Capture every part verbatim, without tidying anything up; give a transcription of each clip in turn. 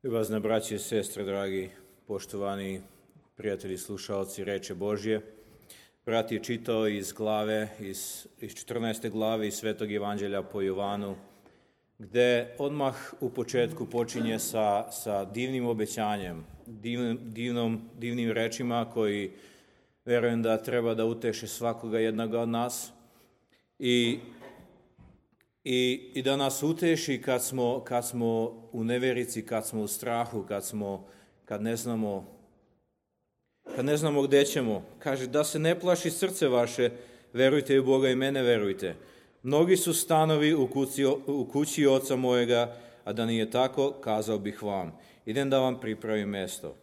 Ljubazne braće i sestre, dragi, poštovani prijatelji, slušalci reče Božje. Brat je čitao iz glave, iz, iz četrnaeste glave iz Svetog Evanđelja po Jovanu, gde odmah u početku počinje sa, sa divnim obećanjem, divnim, divnom, divnim rečima koji verujem da treba da uteše svakoga jednoga od nas i I, i da nas uteši kad smo, kad smo u neverici, kad smo u strahu, kad, smo, kad, ne znamo, kad ne znamo gde ćemo. Kaže, da se ne plaši srce vaše, verujte u Boga i mene verujte. Mnogi su stanovi u kući, u kući oca mojega, a da nije tako, kazao bih vam. Idem da vam pripravim mesto.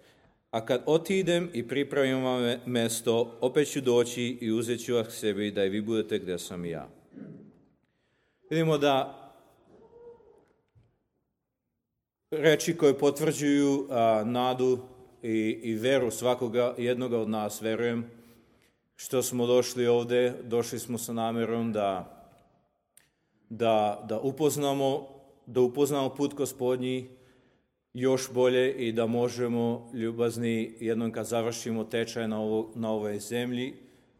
A kad otidem i pripravim vam mesto, opet ću doći i uzet ću vas sebi da i vi budete gde sam i ja. Vidimo da reči koje potvrđuju a, nadu i, i veru svakoga jednoga od nas, verujem, što smo došli ovde, došli smo sa namerom da, da, da, upoznamo, da upoznamo put Gospodnji još bolje i da možemo, ljubazni, jednom kad završimo tečaj na, ovo, na ovoj zemlji,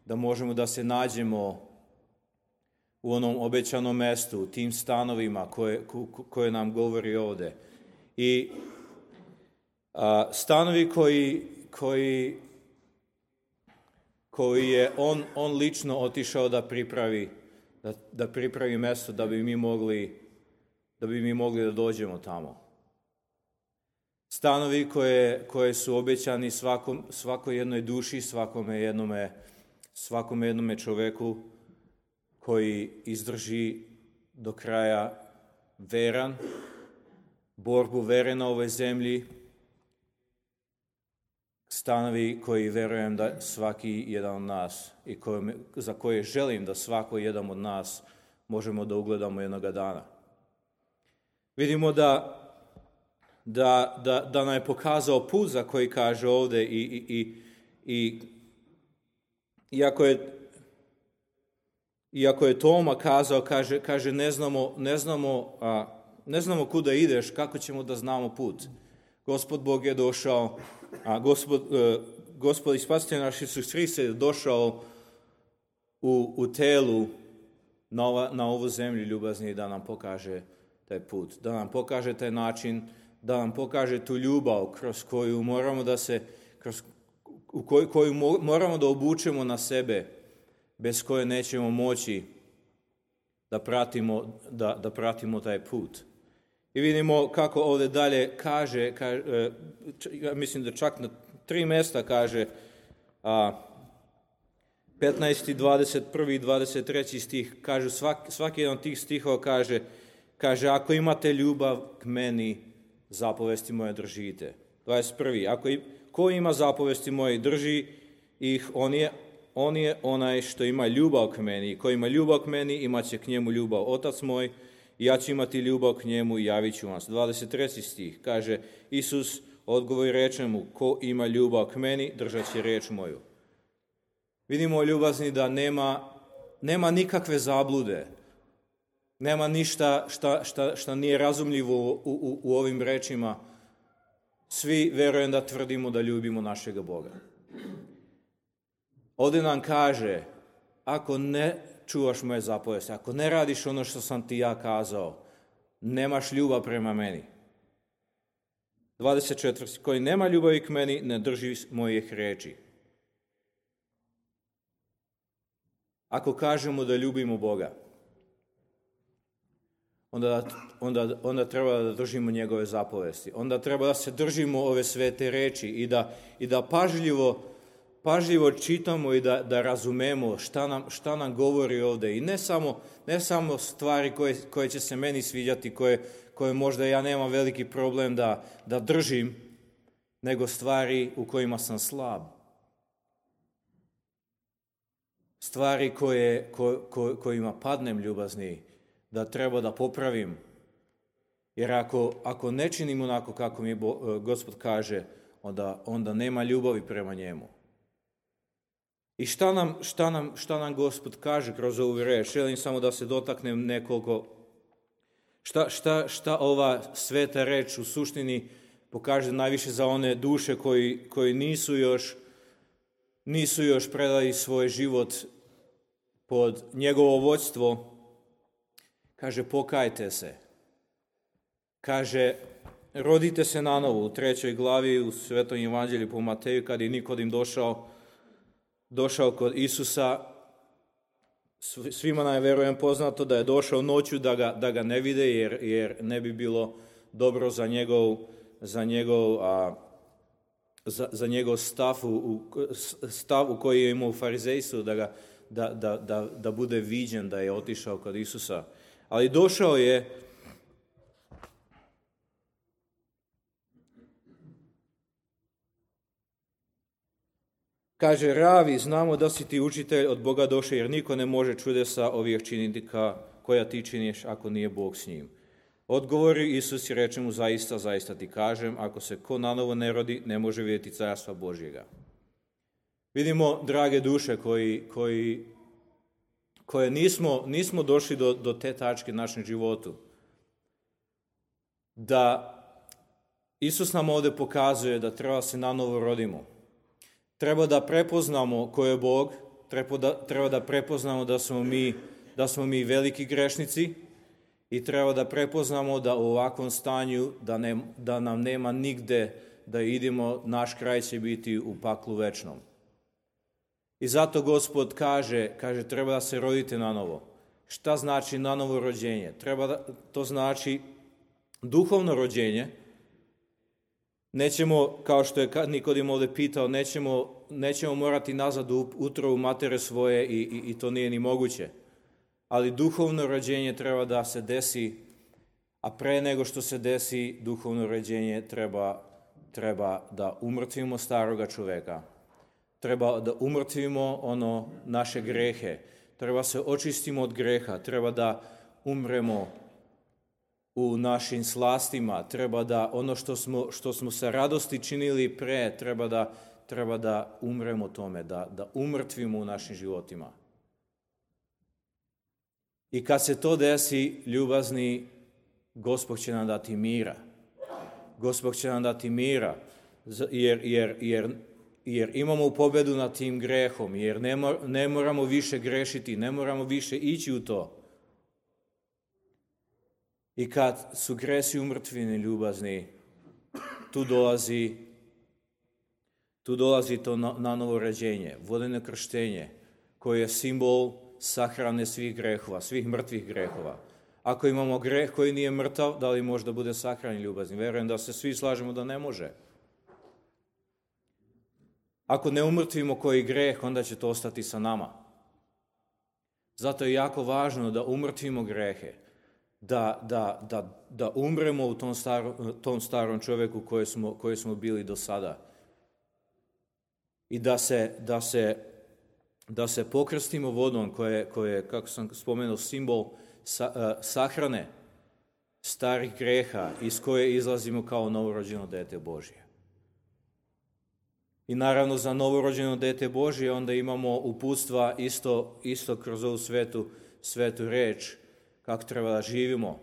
da možemo da se nađemo u onom obećanom mestu, u tim stanovima koje, koje nam govori ovde. I a, stanovi koji, koji, koji je on, on lično otišao da pripravi, da, da pripravi mesto da bi mi mogli, da bi mi mogli da dođemo tamo. Stanovi koje, koje su obećani svakom, svakoj jednoj duši, svakome jednome, svakome jednome čoveku koji izdrži do kraja veran, borbu vere na ovoj zemlji, stanovi koji verujem da svaki jedan od nas i koje, za koje želim da svako jedan od nas možemo da ugledamo jednoga dana. Vidimo da, da, da, da nam je pokazao put za koji kaže ovde i, i, i, i iako je Iako je Toma kazao, kaže, kaže ne znamo, ne znamo, a, ne znamo kuda ideš, kako ćemo da znamo put. Gospod Bog je došao, a Gospod, a, Gospod i Spasitelj naš Isus Hrist je došao u, u telu na, ova, na ovu zemlju ljubazni da nam pokaže taj put, da nam pokaže taj način, da nam pokaže tu ljubav kroz koju moramo da se, kroz u koju, koju moramo da obučemo na sebe, bez koje nećemo moći da pratimo, da, da pratimo taj put. I vidimo kako ovdje dalje kaže, kaže ja mislim da čak na tri mjesta kaže, a, petnaesti, dvadeset prvi i dvadeset treći stih, kažu, svaki, svaki jedan od tih stihova kaže, kaže, ako imate ljubav k meni, zapovesti moje držite. dvadeset prvi Ako i, ko ima zapovesti moje drži ih, on je On je onaj što ima ljubav k meni. Ko ima ljubav k meni, imat će k njemu ljubav Otac moj, i ja ću imati ljubav k njemu i javit ću vam. dvadeset treći stih kaže, Isus odgovori reče mu, ko ima ljubav k meni, držat će reč moju. Vidimo, ljubazni, da nema, nema nikakve zablude. Nema ništa šta, šta, šta nije razumljivo u, u, u ovim rečima. Svi verujem da tvrdimo da ljubimo našega Boga. Ovdje nam kaže, ako ne čuvaš moje zapovesti, ako ne radiš ono što sam ti ja kazao, nemaš ljubav prema meni. dvadeset četvrti Koji nema ljubavi k meni, ne drži mojih reči. Ako kažemo da ljubimo Boga, onda, onda, onda treba da držimo njegove zapovesti. Onda treba da se držimo ove svete reči i da, i da pažljivo pažljivo čitamo i da, da razumemo šta nam, šta nam govori ovdje. I ne samo, ne samo stvari koje, koje će se meni sviđati, koje, koje možda ja nemam veliki problem da, da držim, nego stvari u kojima sam slab. Stvari koje, ko, ko, kojima padnem, ljubazni, da treba da popravim. Jer ako, ako ne činim onako kako mi Bo, Gospod kaže, onda, onda nema ljubavi prema njemu. I šta nam, šta nam, šta nam Gospod kaže kroz ovu reč? Želim samo da se dotaknem nekoliko Šta, šta, šta ova sveta reč u suštini pokaže najviše za one duše koji, koji nisu još, nisu još predali svoj život pod njegovo vođstvo. Kaže, pokajte se. Kaže, rodite se nanovo. U trećoj glavi u Svetom evanđelju po Mateju, kad je Nikodim došao, došao kod Isusa, svima nam je, verujem, poznato da je došao noću da ga, da ga ne vide, jer, jer ne bi bilo dobro za njegov, za njegov, a, za, za njegov stav, u, stav u koji je imao u farizejstvu, da, ga, da, da, da, da bude viđen da je otišao kod Isusa. Ali došao je kaže, Ravi, znamo da si ti učitelj od Boga došao, jer niko ne može čudesa ovih činiti ka, koja ti činiš ako nije Bog s njim. Odgovori Isus i reče mu, zaista, zaista ti kažem, ako se ko nanovo ne rodi, ne može vidjeti carstva Božjega. Vidimo, drage duše, koji, koji, koje nismo, nismo došli do, do te tačke našem životu, da Isus nam ovdje pokazuje da treba se nanovo rodimo. Treba da prepoznamo ko je Bog, treba da, treba da prepoznamo da smo, mi, da smo mi veliki grešnici i treba da prepoznamo da u ovakvom stanju da, ne, da nam nema nigde da idemo, naš kraj će biti u paklu večnom. I zato Gospod kaže, kaže treba da se rodite nanovo. Šta znači nanovo rođenje? Treba da, to znači duhovno rođenje. Nećemo, kao što je Nikodim ovdje pitao, nećemo, nećemo morati nazad u utrobu matere svoje i, i, i to nije ni moguće. Ali duhovno rođenje treba da se desi, a pre nego što se desi duhovno rođenje treba, treba da umrtvimo staroga čoveka. Treba da umrtvimo ono naše grehe. Treba se očistimo od greha. Treba da umremo u našim slastima, treba da ono što smo, što smo sa radosti činili pre, treba da, treba da umremo tome, da, da umrtvimo u našim životima. I kad se to desi, ljubazni, Gospod će nam dati mira. Gospod će nam dati mira, jer, jer, jer, jer imamo pobedu nad tim grehom, jer ne, mor, ne moramo više grešiti, ne moramo više ići u to. I kad su gresi umrtvini, ljubazni, tu dolazi, tu dolazi to na, na novo rođenje, vodeno krštenje, koje je simbol sahrane svih grehova, svih mrtvih grehova. Ako imamo greh koji nije mrtav, da li može da bude sahranjen, ljubazni? Verujem da se svi slažemo da ne može. Ako ne umrtvimo koji greh, onda će to ostati sa nama. Zato je jako važno da umrtvimo grehe. Da, da, da, da umremo u tom starom, tom starom čovjeku koji smo, koji smo bili do sada. I da se, da se, da se pokrstimo vodom koje, koje, kako sam spomenuo, simbol sa, uh, sahrane starih greha iz koje izlazimo kao novorođeno dete Božje. I naravno za novorođeno dete Božje onda imamo uputstva isto, isto kroz ovu svetu, svetu reč, kako treba da živimo,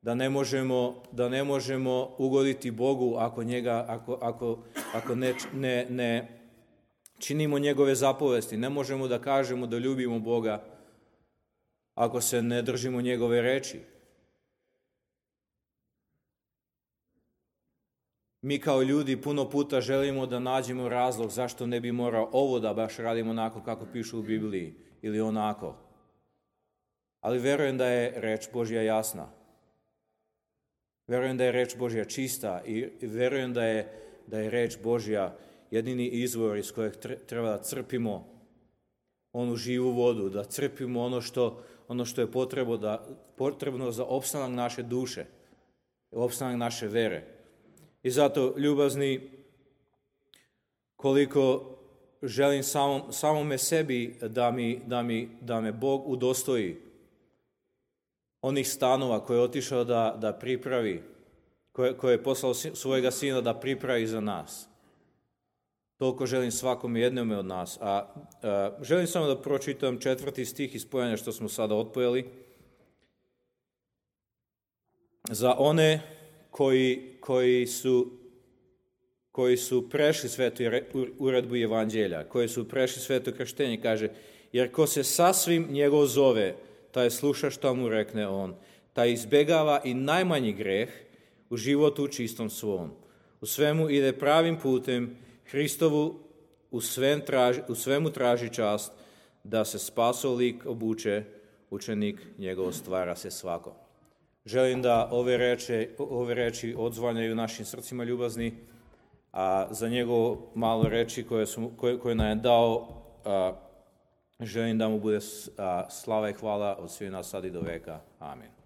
da ne možemo, da ne možemo ugoditi Bogu ako, njega, ako, ako, ako ne, ne, ne činimo njegove zapovesti. Ne možemo da kažemo da ljubimo Boga ako se ne držimo njegove reči. Mi kao ljudi puno puta želimo da nađemo razlog zašto ne bi morao ovo da baš radimo onako kako piše u Bibliji ili onako. Ali verujem da je reč Božja jasna. Verujem da je reč Božja čista i verujem da je, da je reč Božja jedini izvor iz kojeg treba da crpimo onu živu vodu, da crpimo ono što, ono što je potrebno, da, potrebno za opstanak naše duše, opstanak naše vere. I zato, ljubazni, koliko želim samom, samome sebi da, mi, da, mi, da me Bog udostoji onih stanova koje je otišao da, da pripravi, koje, koje je poslao svojega sina da pripravi za nas. Toliko želim svakom jednome od nas. A, a želim samo da pročitam četvrti stih iz pojanja što smo sada otpojeli. Za one koji, koji su koji su prešli svetu uredbu evanđelja, koji su prešli sveto krštenje, kaže, jer ko se sasvim njegov zove, taj sluša što mu rekne on, taj izbegava i najmanji greh u životu čistom svom. U svemu ide pravim putem, Hristovu u, svem traži, u svemu traži čast, da se spasov lik obuče, učenik njegov stvara se svako. Želim da ove reči, ove reči odzvanjaju našim srcima ljubazni, a za njegovo malo reči koje, su, koje, koje nam je dao, a, želim da mu bude a, slava i hvala od svih nas sad i do veka. Amen.